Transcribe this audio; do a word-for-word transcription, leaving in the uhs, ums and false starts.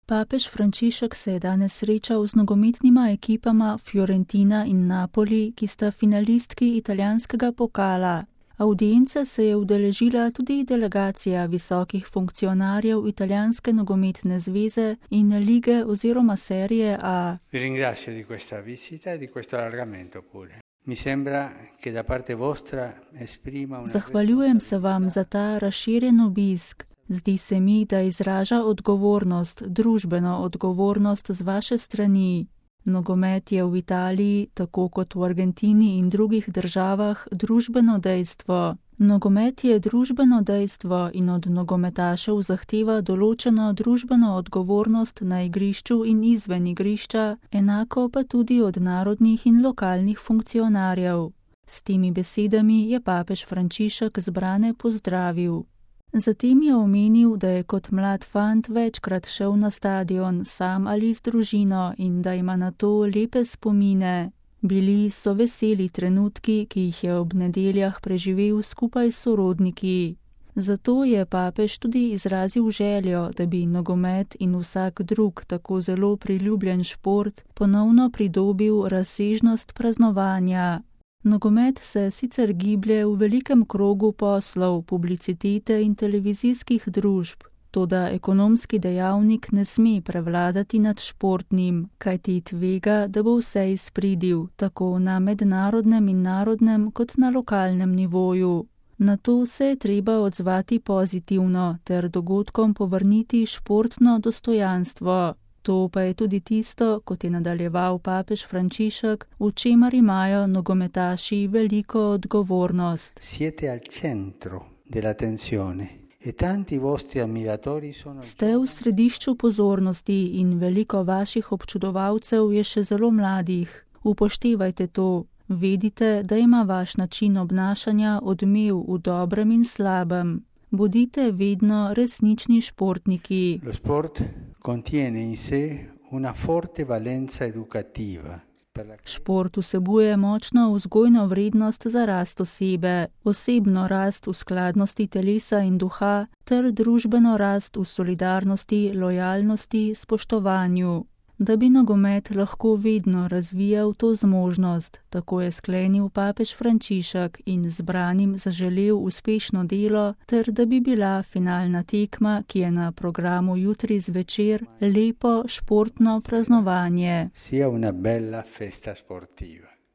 Papež Frančišek se je danes srečal z nogometnima ekipama Fiorentina in Napoli, ki sta finalistki italijanskega pokala. Avdience se je udeležila tudi delegacija visokih funkcionarjev Italijanske nogometne zveze in lige oziroma serije A. Vi ringrazio di questa visita e di questo allargamento pure. Mi sembra che da parte vostra esprima una Zahvaljujem se vam za ta razširjen obisk. Zdi se mi, da izraža odgovornost, družbeno odgovornost z vaše strani. Nogomet je v Italiji, tako kot v Argentini in drugih državah, družbeno dejstvo. Nogomet je družbeno dejstvo in od nogometašev zahteva določeno družbeno odgovornost na igrišču in izven igrišča, enako pa tudi od narodnih in lokalnih funkcionarjev. S temi besedami je papež Frančišek zbrane pozdravil. Zatem je omenil, da je kot mlad fant večkrat šel na stadion sam ali z družino in da ima na to lepe spomine. Bili so veseli trenutki, ki jih je ob nedeljah preživel skupaj s sorodniki. Zato je papež tudi izrazil željo, da bi nogomet in vsak drug tako zelo priljubljen šport ponovno pridobil razsežnost praznovanja. Nogomet se sicer giblje v velikem krogu poslov, publicitete in televizijskih družb, toda ekonomski dejavnik ne sme prevladati nad športnim, kajti tvega, da bo vse izpridil, tako na mednarodnem in narodnem kot na lokalnem nivoju. Na to se je treba odzvati pozitivno ter dogodkom povrniti športno dostojanstvo. To pa je tudi tisto, kot je nadaljeval papež Frančišek, v čemer imajo nogometaši veliko odgovornost. Siete al centro della tensione e tanti vostri ammiratori sono. Ste v središču pozornosti in veliko vaših občudovalcev je še zelo mladih. Upoštevajte to. Vedite, da ima vaš način obnašanja odmev v dobrem in slabem. Bodite vedno resnični športniki. Lo sport contiene in sé una forte valenza educativa. Šport vsebuje močno vzgojno vrednost za rast osebe, osebno rast v skladnosti telesa in duha ter družbeno rast v solidarnosti, lojalnosti, spoštovanju. Da bi nogomet lahko vedno razvijal to zmožnost, tako je sklenil papež Frančišek in zbranim zaželel uspešno delo, ter da bi bila finalna tekma, ki je na programu jutri zvečer, lepo športno praznovanje. Sia una bella festa sportiva.